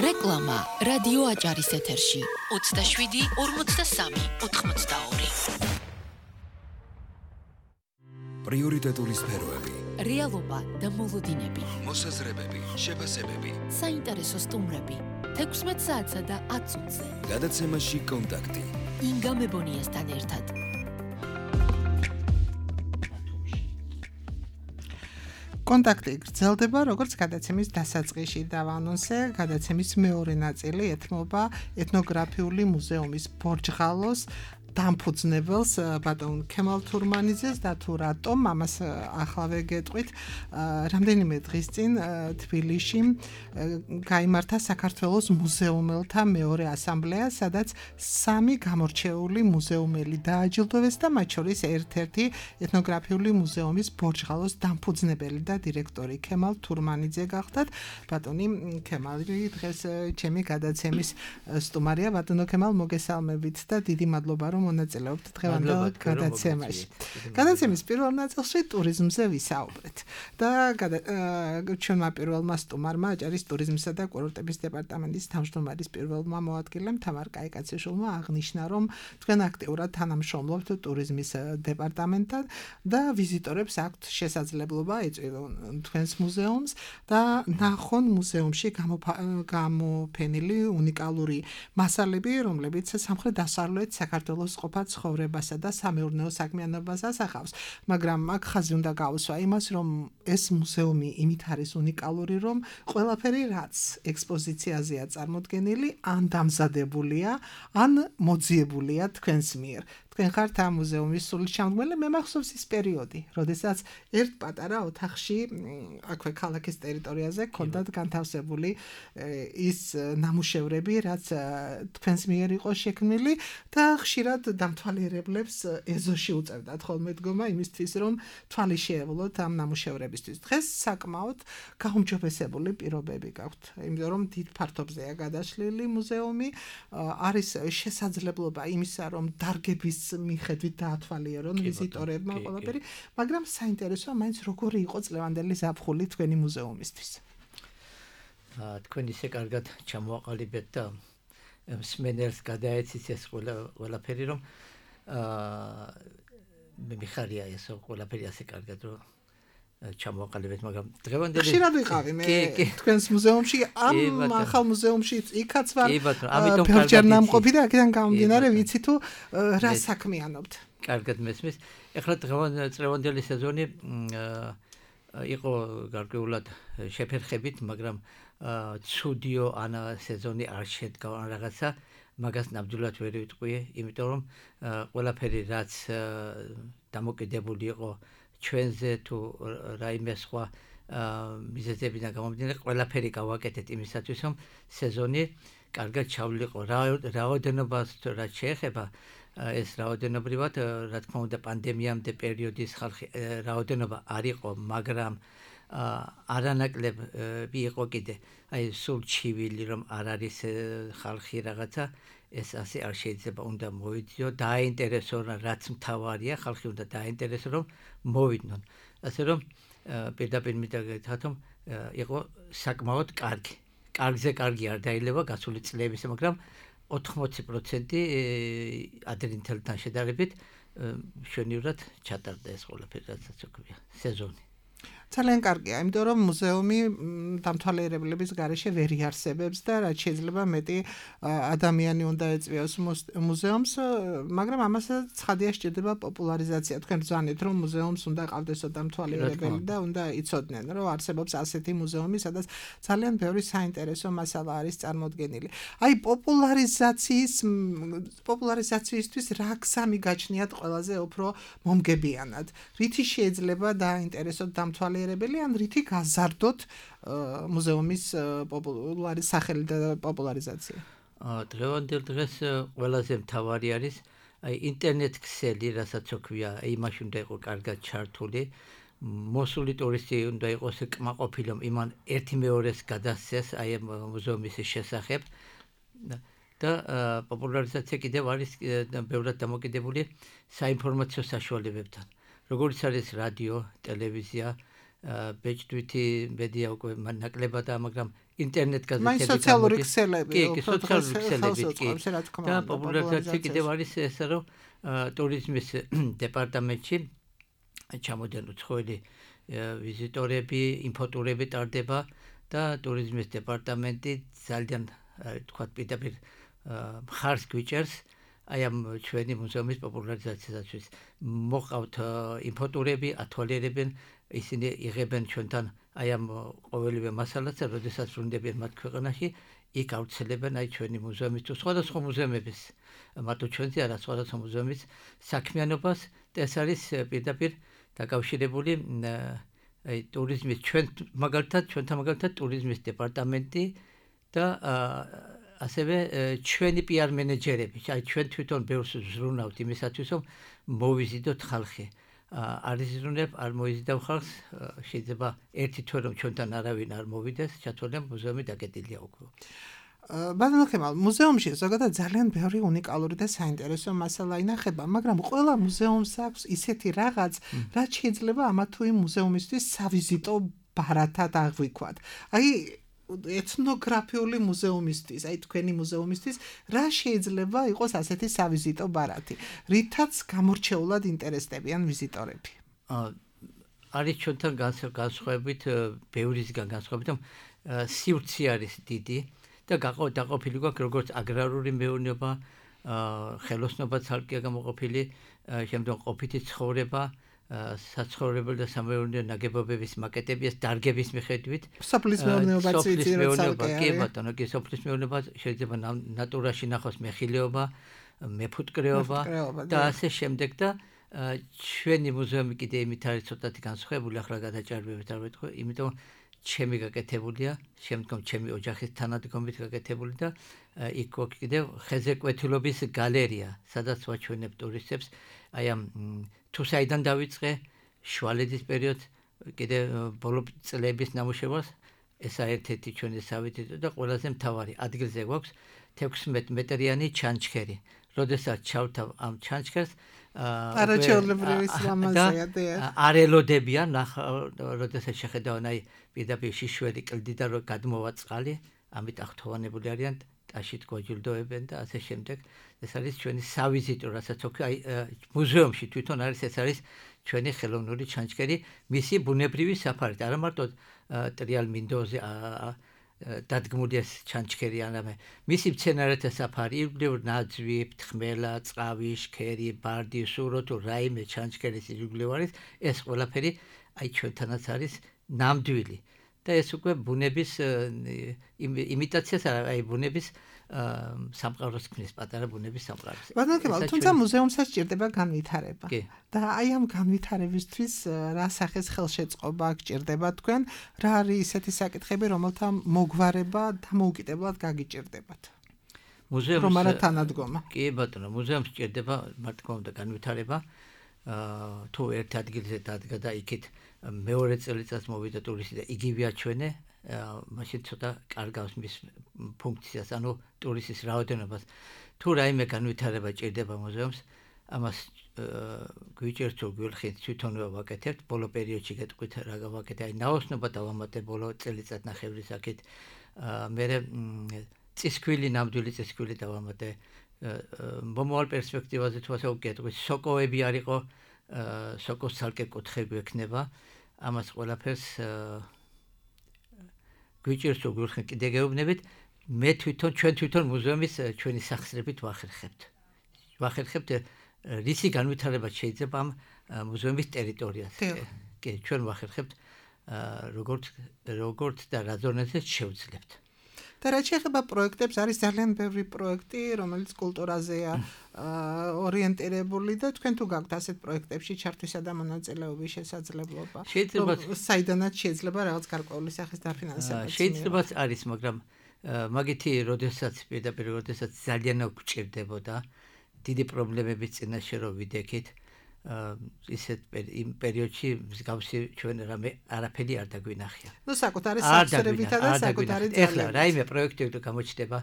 რეკლამა რადიო აჭარის ეთერში 27-43-82. პრიორიტეტული სფეროები. რეალობა და მოლოდინები. მოსაზრებები, შეფასებები. საინტერესო სტუმრები 16 საათსა და 10 წუთზე. გადაცემაში კონტაქტი. ინგა მებონიასთან ერთად. კონტაქტი გრძელდება, როგორც გადაცემის დასაწყისში დავანონსე, გადაცემის მეორე ნაწილი ეთმობა ეთნოგრაფიული მუზეუმის ბორჯღალოს დამფუძნებელს ბატონ ქემალ თურმანიძეს და თუ რატომ ამას ახლავე გეტყვით. რამდენიმე დღის წინ თბილისში გაიმართა საქართველოს მუზეუმელთა მეორე ასამბლეა, სადაც 3 გამორჩეული მუზეუმელი დააჯილდოვეს და მათ შორის ერთ-ერთი ეთნოგრაფიული მუზეუმის ბორჯღალოს დამფუძნებელი და დირექტორი ქემალ თურმანიძე გახდათ. ბატონი ქემალი დღეს ჩემი გადაცემის სტუმარია. ბატონო ქემალ, მოგესალმებით და დიდი მადლობა რომ მონაწილეობთ დღევანდელ გადაცემაში. გადაცემის პირველ ნაწილში ტურიზმზე ვისაუბრეთ და ჩვენმა პირველმა სტუმარმა აჭარის ტურიზმისა და კურორტების დეპარტამენტის თავმჯდომარის პირველმა მოადგილემ თამარ კაიკაციშვილმა აღნიშნა, რომ თქვენ აქტიურად თანამშრომლობთ ტურიზმის დეპარტამენტთან და ვიზიტორებს აქვთ შესაძლებლობა ეწვიონ თქვენს მუზეუმს და ნახონ მუზეუმში გამოფენილი უნიკალური მასალები, რომლებიც სამხრეთ-დასავლეთ საქართველოს ყოფა ცხოვრებასა და სამეურნეო საქმიანობას ასახავს, მაგრამ აქ ხაზი უნდა გაუსვა იმას, რომ ეს მუზეუმი იმით არის უნიკალური, რომ ყველაფერი, რაც ექსპოზიციაზეა წარმოდგენილი, ან დამზადებულია, ან მოძიებულია თქვენს მიერ. თქვენ ხართ ამ მუზეუმის სრულჩამდგმელი. მე მახსოვს ის პერიოდი, როდესაც ერთ პატარა ოთახში აქვე ქალაქის ტერიტორიაზე ჰქონდათ განთავსებული ის ნამუშევრები, რაც თქვენს მიერ იყო შექმნილი და ხშირად დამთვალიერებლებს ეზოში უწევდათ ხოლმე დგომა იმისთვის, რომ თვალი შეევლოთ ამ ნამუშევრებისთვის. დღეს საკმაოდ გაუმჯობესებული პირობები გაქვთ, იმიტომ რომ დიდ ფართობზეა გადაშლილი მუზეუმი, არის შესაძლებლობა იმისა, რომ დარგების მიხედვით დაათვალიერონ ვიზიტორებმა ყველაფერი, მაგრამ საინტერესოა მაინც როგორი იყო წლევანდელი ზაფხული თქვენი მუზეუმისთვის. თქვენ ისე კარგად ჩამოაყალიბეთ და მსმენელს გადაეცით ეს ყველაფერი, რომ მე მიხარია ეს ყველაფერი ასე კარგად, რომ ჩამოვაყალიბეთ, მაგრამ დღევანდელი ხშირად ვიყავი მე თქვენს მუზეუმში, ამ ახალ მუზეუმში იქაც ვარ. ამიტომ ნამყოფი და აქედან გამომდინარე ვიცი თუ რა საქმიანობთ. კარგად მესმის. ეხლა დღევანდელი სეზონი იყო გარკვეულად შეფერხებით, მაგრამ ცუდიო ანა სეზონი არ შედგა რაღაცა, მაგას ნამდვილად ვერ ვიტყვიე, იმიტომ რომ ყველაფერი რაც დამოკიდებული იყო ჩვენზე თუ რაიმე სხვა მიზეზებიდან გამომდინარე, ყველაფერი გავაკეთეთ იმისათვის, რომ სეზონი კარგად ჩავლიყო. რაოდენობას რაც შეეხება, ეს რაოდენობრივად, რა თქმა უნდა, პანდემიამდე პერიოდის ხალხი რაოდენობა არ იყო, მაგრამ არანაკლები იყო კიდე. აი სულ ჩივილი რომ არ არის ხალხი რაღაცა, ეს ასე არ შეიძლება, უნდა მოვიძიო, დააინტერესო, რაც მთავარია, ხალხი უნდა დააინტერესო, რომ მოვიდნენ. ასე რომ პირდაპირ მინდა გითხრათ, რომ იყო საკმაოდ კარგი. კარგზე კარგი არ დაილევა გასული წლების, მაგრამ 80% ადრინდელთან შედარებით მშვენივრად ჩატარდა ეს ყველაფერი, რასაც ვქვია, სეზონი. ძალიან კარგია, იმიტომ რომ მუზეუმი დამთვალიერებლების გარეშე ვერ იარსებებს და რაც შეიძლება მეტი ადამიანი უნდა ეწვიოს მუზეუმს, მაგრამ ამასაც ცხადია სჭირდება პოპულარიზაცია. თქვენ ბრძანეთ, რომ მუზეუმს უნდა ყავდესო დამთვალიერებელი და უნდა იცოდნენ, რომ არსებობს ასეთი მუზეუმი, სადაც ძალიან ბევრი საინტერესო მასალა არის წარმოდგენილი. აი პოპულარიზაციისთვის რა გზა მიგაჩნიათ ყველაზე უფრო მომგებიანად? რითი შეიძლება დააინტერესოთ დამთვალიერებელი ან რითი გაზარდოთ მუზეუმის სახელი და პოპულარიზაცია? დღევანდელ დღეს ყველაზე მთავარი არის აი ინტერნეტ ქსელი, რასაც ვქვია, იმაში უნდა იყოს კარგად ჩართული. მოსული ტურისტი უნდა იყოს კმაყოფილი, რომ იმან ერთი მეორეს გადასცეს აი მუზეუმის შესახებ. და პოპულარიზაცია კიდევ არის ბევრად დამოკიდებული საინფორმაციო საშუალებებთან. როგორც არის რადიო, ტელევიზია, ბეჭდვითი მედია უკვე ნაკლებადაა, მაგრამ ინტერნეტ გაზეთები, სოციალური ქსელები, და პოპულარიზაცია კიდევ არის ესა, რომ ტურიზმის დეპარტამენტში ჩამოდიან უცხოელი ვიზიტორები, ინფოტურები ტარდება და ტურიზმის დეპარტამენტი ძალიან თქვათ პირდაპირ მხარს გვიჭერს აი ამ ჩვენი მუზეუმის პოპულარიზაციისათვის. მოყავთ ინფოტურები, ათვალიერებენ, ისინი იღებენ ჩვენთან აი ამ ყოველივე მასალას, როდესაც ვრუნდებიან მათ ქვეყანაში, იქ ავრცელებენ აი ჩვენი მუზეუმის თუ სხვადასხვა მუზეუმების, მარტო ჩვენზე არა, სხვადასხვა მუზეუმის საქმიანობას და ეს არის პირდაპირ დაკავშირებული აი ტურიზმის ჩვენთან მაგალითად ტურიზმის დეპარტამენტი და ასევე ჩვენი PR მენეჯერები, აი ჩვენ თვითონ ბევრს ვზრუნავთ იმისათვის, რომ მოვიზიდოთ ხალხი. არ იზრუნებ, არ მოიზიდავ ხალხს, შეიძლება ერთი თვე რომ ჩვენთან არავინ არ მოვიდეს, ჩათვალე მუზეუმი დაკეტილია უკვე. ბატონო ხემალ, მუზეუმში ზოგადად ძალიან ბევრი უნიკალური და საინტერესო მასალა ინახება, მაგრამ ყველა მუზეუმს აქვს ისეთი რაღაც, რაც შეიძლება ამა თუ იმ მუზეუმისთვის სავიზიტო ბარათად აღვიქვათ. აი ეთნოგრაფიული მუზეუმისთვის, აი თქვენი მუზეუმისთვის რა შეიძლება იყოს ასეთი სავიზიტო ბარათი, რითაც გამორჩეულად ინტერესდებიან ვიზიტორები? არის ჩვენთან განსხვავებით, ბევრისგან განსხვავებით, რომ სივრცე არის დიდი და დაყოფილი გვაქვს როგორც აგრარული მეურნეობა, ხელოსნობა ცალკეა გამოყოფილი, შემდგომ ყოფითი ცხოვრება, საცხოვრებელი და სამეურნეო ნაგებობების მაკეტები, დარგების მიხედვით. სოფლის მეურნეობაც ვიცი, რომ კი ბატონო, კი სოფლის მეურნეობა შეიძლება ნატურაში ნახოს მეხილეობა, მეფუტკრეობა და ასე შემდეგ და ჩვენი მუზეუმი კიდე იმით არის ცოტათი განსხვავებული, ახლა გადაჭარბებით არ ვეთქვი, იმიტომ ჩემი გაკეთებულია, შემდგომ ჩემი ოჯახის თანადგომით გაკეთებული და იქ გვაქვს კიდევ ხეზეკვეთილობის გალერეა, სადაც ვაჩვენებ ტურისტებს აი ამ თუ საიდან დავიწყე შუალედის პერიოდს, კიდე ბოლო წლების ნამუშევარს, ესა ერთ-ერთი ჩვენი სავიზიტო და ყველაზე მთავარი ადგილზე გვაქვს 16 მეტრიანი ჩანჩქერი. როდესაც ჩავთავ ამ ჩანჩქერს, არაჩვეულებრივი სილამაზეა და არ ელოდებიან, როდესაც შეხედავენ აი პირდაპირ შიშველი კლდიდან რომ გადმოვა წყალი, ამით აღთხოვანებული არიან ტაშით გვაჯილდოებენ და ასე შემდეგ. ეს არის ჩვენი სავიზიტო, რასაც მუზეუმში თვითონ არის, ეს არის ჩვენი ხელოვნური ჩანჩქერი, მისი ბუნებრივი საფარით, არა მარტო ტრიალ მინდოზე დადგმული ეს ჩანჩქერი, არამედ მისი მცენარეთა საფარი, ირგვლივ ნაძვი, ფრთხმელა, წყავი, შქერი, ბარდი, სურო თუ რაიმე ჩანჩქერის ირგვლივ არის, ეს ყველაფერი აი ჩვენთანაც არის ნამდვილი. და ეს უკვე ბუნების იმიტაციას აი ბუნების სამყაროს ქმნის, პატარა ბუნების სამყაროს. ბატონო კემალ, თუმცა მუზეუმსაც სჭირდება განვითარება. და აი ამ განვითარებისთვის რა სახის ხელშეწყობა გჭირდება თქვენ? რა არის ისეთი საკითხები, რომელთა მოგვარება დამოუკიდებლად გაგიჭირდებათ? მუზეუმს რომ არა თანადგომა. კი ბატონო, მუზეუმს სჭირდება მართლმადიდებლად განვითარება. თუ ერთ ადგილზე დადგა და იქით მეორე წელიწადს მოვიდა ტურისტი და იგივე აჩვენე, მაშინ ცოტა კარგავს მის ფუნქციას, ანუ ტურისტის რაოდენობას. თუ რაიმე განვითარება ჭირდება მუზეუმს, ამას გვიჭერთ თუ გვილხით თვითონვე ვაკეთებთ, ბოლო პერიოდში გეტყვით რა გავაკეთე, აი ნაოსნობა დავამატე ბოლო წელიწადნახევრის აქეთ, მერე წისქვილი, ნამდვილი წისქვილი დავამატე. მომავალ პერსპექტივაზე თუ ასე ვგეტყვით, სოკოები არისო, სოკოს ცალკე კუთხე გვექნება, ამას ყველაფერს გვიჭერთ თუ გვილხით კიდე გეუბნებით, ჩვენ თვითონ მუზეუმის ჩვენი სახსრებით ვახერხებთ რისი განვითარება შეიძლება ამ მუზეუმის ტერიტორიაზე. კი, ჩვენ ვახერხებთ როგორც და რა ზონაზე შევძლებთ. და რაც შეეხება პროექტებს, არის ძალიან ბევრი პროექტი, რომელიც კულტურაზეა ორიენტირებული და თქვენ თუ გაქვთ ასეთ პროექტებში ჩართვისა და მონაწილეობის შესაძლებლობა? საიდანაც შეიძლება რაღაც გარკვეული სახის დაფინანსება? შეიძლება არის, მაგრამ მაგითი როდესაც ძალიან გვჭირდებოდა დიდი პრობლემების წინაშე რომ ვიდექით, ისეთ იმ პერიოდში მსგავსი ჩვენ არაფერი არ დაგვინახია. ნუ საკუთარი სახსრებითა და საკუთარი ძალებით. ეხლა რაიმე პროექტი გამოჩნდება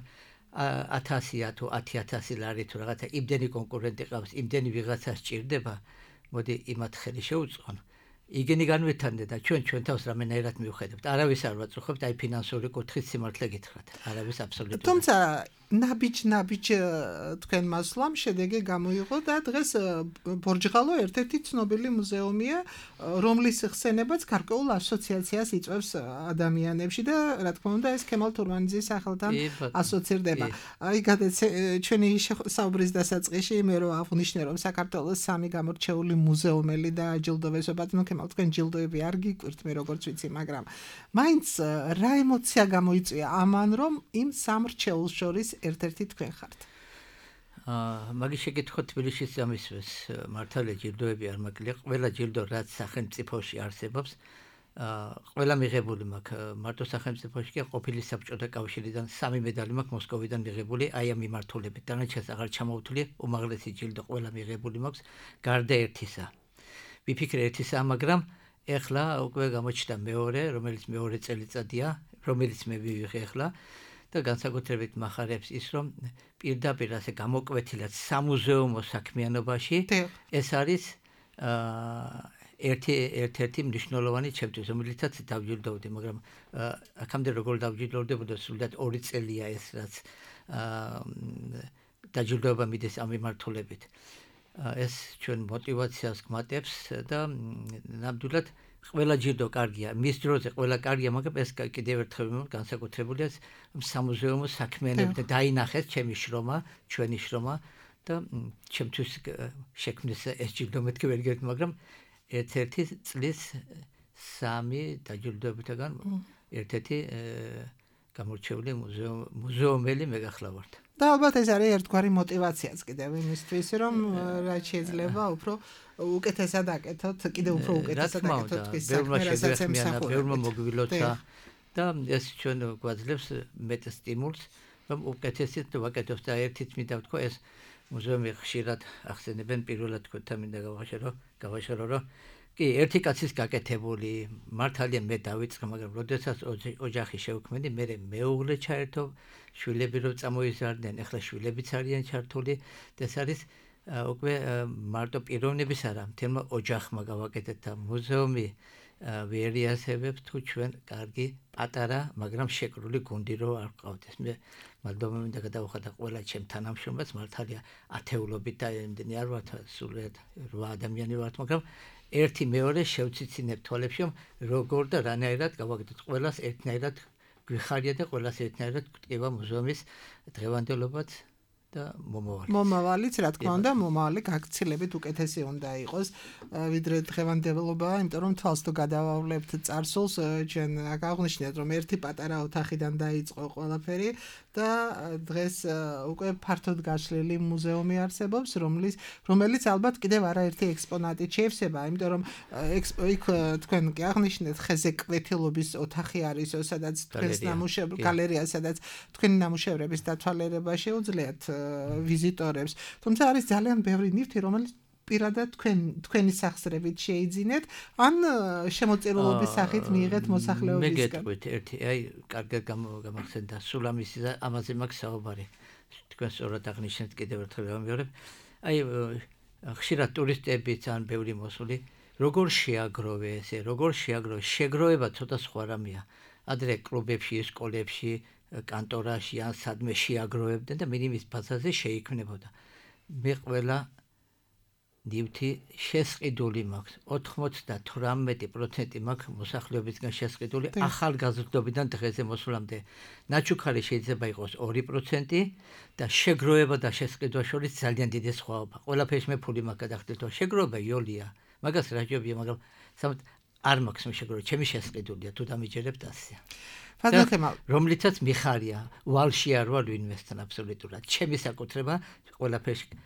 1000 თუ 10000 ლარი თუ რაღაცა იმდენი კონკურენტი ყავს, იმდენი ვიღაცა სჭირდება, მოდი იმათ ხელი შეუწყონ. იგენი განვითარდე და ჩვენ თავს რამენაირად მივხედებთ. არავის არ ვაწუხებთ, აი ფინანსური კუთხით სიმართლე გითხრათ. არავის აბსოლუტურად. თუმცა ნაბიჯ თქვენ მასვლამ შედეგი გამოიღო და დღეს ბორჯღალო ერთ-ერთი ცნობილი მუზეუმია, რომლის ხსენებაც გარკვეულ ასოციაციას იწვევს ადამიანებში და რა თქმა უნდა ეს ქემალ თურმანიძის სახელთან ასოცირდება. აი ჩვენი საუბრის დასაწყისში მე რო აღნიშნე რომ საქართველოს 3 გამორჩეული მუზეუმელი დააჯილდოვეს, ბატონო ქემალ, თქვენ ჯილდოები არ გიკვირთ, მე როგორც ვიცი, მაგრამ მაინც რა ემოცია გამოიწვია ამან რომ იმ 3 მრჩეულს შორის ერთ-ერთი თქვენ ხართ. მაგის შეკითხვა თბილისშიც ამისვეს, მართალია ჯილდოები არ მაკლია, ყველა ჯილდო რაც სახელმწიფოში არსებობს, ყველა მიღებული მაქვს, მარტო სახელმწიფოში კი ყოფილი საბჭოთა კავშირიდან 3 მედალი მაქვს მოსკოვიდან მიღებული, აი ამ მიმართულებით. დანარჩენს აღარ ჩამოვთვლი, უმაღლესი ჯილდო ყველა მიღებული მაქვს, გარდა ერთისა. ვიფიქრე ერთისა, მაგრამ ეხლა უკვე გამოჩნდა მეორე, რომელიც მეორე წელიწადია, რომელიც მე ვივიღე ეხლა. და განსაკუთრებით მახარებს ის, რომ პირდაპირ ასე გამოკვეთილად სამუზეუმო საქმიანობაში ეს არის ერთ-ერთი მნიშვნელოვანი ჩემთვის, რომელიცაც დავჯილდოვდი, მაგრამ აქამდე როგორ დავჯილდოვდებოდა, სულად 2 წელია ეს, რაც დაჯილდოება მიდის ამ მიმართულებით. ეს ჩვენ мотивაციას გმატებს და ნამდვილად ყველა ჯილდო კარგია, მის დროზე ყველა კარგია, მაგრამ ეს კიდევ ერთხელ განსაკუთრებულია სამუზეუმო საქმიანობით და დაინახეს ჩემი შრომა, ჩვენი შრომა და ჩემთვის შექმნეს ეს ჯილდო მეთქი ვერ გერთ, მაგრამ ერთ-ერთი წლის 3 დაჯილდოებისგან ერთ-ერთი გამორჩეული მუზეუმელი მე გახლავართ. და ალბათ ეს არის ერთგვარი мотивაციაც კიდევ იმისთვის, რომ რაც შეიძლება უფრო უკეთესად აკეთოთ, კიდევ უფრო უკეთესად აკეთოთ ის საქმე, რასაც ემსახურებთ. ბევრმა მოგვილოცა და ეს ჩვენ გვაძლევს მეტ სტიმულს, რომ უკეთესად ვაკეთოთ და ერთით მინდა ვთქვა, ეს მუზეუმი ხშირად ახსენებენ, პირველად თქვენთან მინდა გავაშორო, რომ კი, ერთი კაცის გაკეთებული, მართალია მე დავიწყე, მაგრამ როდესაც ოჯახი შევქმნი, მე მეუღლე ჩაერთო, შვილები რო წამოიზარდნენ, ეხლა შვილებიც არიან ჩართული და ეს არის უკვე მარტო პიროვნების არა, მთელმა ოჯახმა გავაკეთეთ და მუზეუმი ვერიასებებს თუ ჩვენ კარგი პატარა, მაგრამ შეკრული გუნდი რო არ ყავდეს. მე მადლობა მინდა გადავხატა ყველა ჩემ თანამშრომელს, მართალია ათეულობით და იმდენი არ ვართ, სულიად 8 ადამიანი ვართ, მაგრამ ერთი მეორე შევციცინებ თვალებში, რომ როგორ და რანაირად გავაკეთოთ ყველას ერთნაირად გვიხარია და ყველას ერთნაირად გვტკივა მუზეუმის დღევანდელობაც და მომავალიც, რა თქმა უნდა, მომავალი გაქცილებით უკეთესი უნდა იყოს, ვიდრე დღევანდელობა, იმიტომ რომ თვალს თუ გადავავლებთ წარსულს, ჩვენ აქ აღნიშნეთ, რომ ერთი პატარა ოთახიდან დაიწყო ყველაფერი და დღეს უკვე ფართოდ გაშლილი მუზეუმი არსებობს, რომელიც ალბათ კიდევ არაერთი ექსპონატით შეივსება, იმიტომ რომ იქ თქვენ კი აღნიშნეთ ხეზე კვეთილობის ოთახი არის, სადაც თქვენს გალერეა, სადაც თქვენი ნამუშევრების დათვალიერება შეუძლიათ ვიზიტორებს. თუმცა არის ძალიან ბევრი ნივთი, რომელიც პირადად თქვენი სახსრებით შეიძინეთ, ან შემოწირულობის სახით მიიღეთ მოსახლეობისგან. მე გეტყვით ერთი, კარგად გამახსენდა სულ ამაზე მაქვს საუბარი. თქვენ სწორად აღნიშნეთ კიდევ ერთხელ გამიორებ. ხშირად ტურისტები ძალიან ბევრი მოსული, როგორ შეაგროვე ესე, შეგროვება ცოტა სხვა რამეა. ადრე კლუბებში, სკოლებში, კანტორაში ან სადმე შეაგროვებდნენ და მინიმის ბაზაზე შეიქმნებოდა. მე ყველა ნივთი შესყიდული მაქვს, 98% მაქვს მოსახლეობისგან შესყიდული, ახალგაზრდობიდან დღეზე მოსვლამდე. ნაჩუქარი შეიძლება იყოს 2% და შეგროვება და შესყიდვა შორის ძალიან დიდი სხვაობა. ყველაფერში მე ფული მაქვს გადახდით, რომ შეგროვება იოლია, მაგას რაჯობია, მაგრამ არ მაქვს შეგროვება, ჩემი შესყიდულია, თუ დამიჯერებთ ასია. რომლიცაც მიხარია, ვალში არ ვარ ვინმესთან აბსოლუტურად. ჩემი საკუთრება ყველაფერში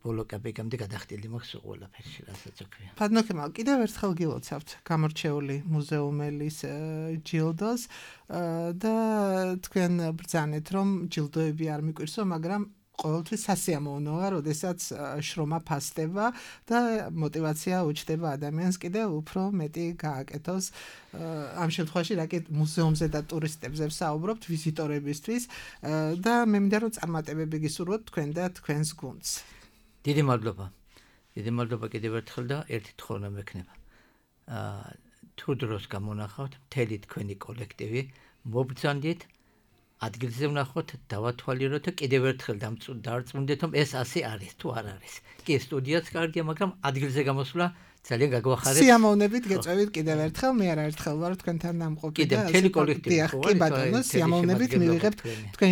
ბოლო კაპიკამდე გადახდილი მაქვს ყველაფერში, რასაც ვქვია. ფადნოქემალ, კიდევ ერთხელ გილოცავთ გამორჩეული მუზეუმელის ჯილდოს და თქვენ ბრძანეთ, რომ ჯილდოები არ მიკვირსო, მაგრამ ყოველთვის სასიამოვნოა, როდესაც შრომა ფასდება და მოტივაცია უჩნდება ადამიანს კიდევ უფრო მეტი გააკეთოს. ამ შემთხვევაში რაკი მუზეუმზე და ტურისტებზე ვსაუბრობთ, ვიზიტორებისთვის და მე მინდა რომ წარმატებები გისურვოთ თქვენ და თქვენს გუნდს. დიდი მადლობა კიდევ ერთხელ და ერთი თხოვნა მექნება. თუ დროს გამონახავთ მთელი თქვენი კოლექტივი, მობრძანდით ადგილზე ვნახოთ, დავათვალიეროთ და კიდევ ერთხელ დავწმუნდეთ, რომ ეს ასე არის, თუ არ არის. კი, სტუდიაც კარგია, მაგრამ ადგილზე გამოსვლა ძალიან გაგვახარებს. სიამოვნებით გეწევით კიდევ ერთხელ, მე არაერთხელ ვარ თქვენთან დამყოფი და მთელი კოლექტივი. კი ბატონო, სიამოვნებით მივიღებთ თქვენ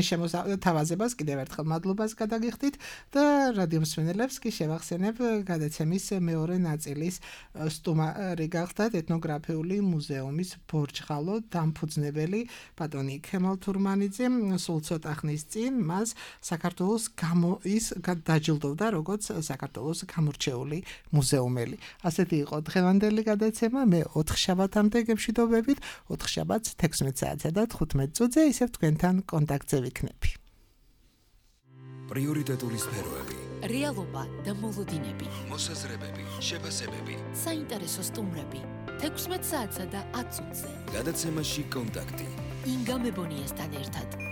თავაზებას, კიდევ ერთხელ მადლობას გადაგიხდით და რადიო მსმენელებს კი შევახსენებ გადაცემის მეორე ნაწილის სტუმარი გახდათ ეთნოგრაფიული მუზეუმის ბორჯღალო დამფუძნებელი ბატონი ქემალ თურმანიძე. სულ ცოტა ხნის წინ მას საქართველოს დაჯილდოვდა როგორც საქართველოს გამორჩეული მუზეუმელი. ასეთი იყო დღევანდელი გადაცემა. მე 4 შაბათამდე გემშვიდობებით, 4 შაბათს 16 საათსა და 15 წუთზე ისევ თქვენთან კონტაქტზე ვიქნები. პრიორიტეტული სფეროები, რეალობა და მოლოდინები, მოსაზრებები, შეფასებები, საინტერესო სტუმრები 16 საათსა და 10 წუთზე. გადაცემაში კონტაქტი. ინგა მებონიასთან ერთად.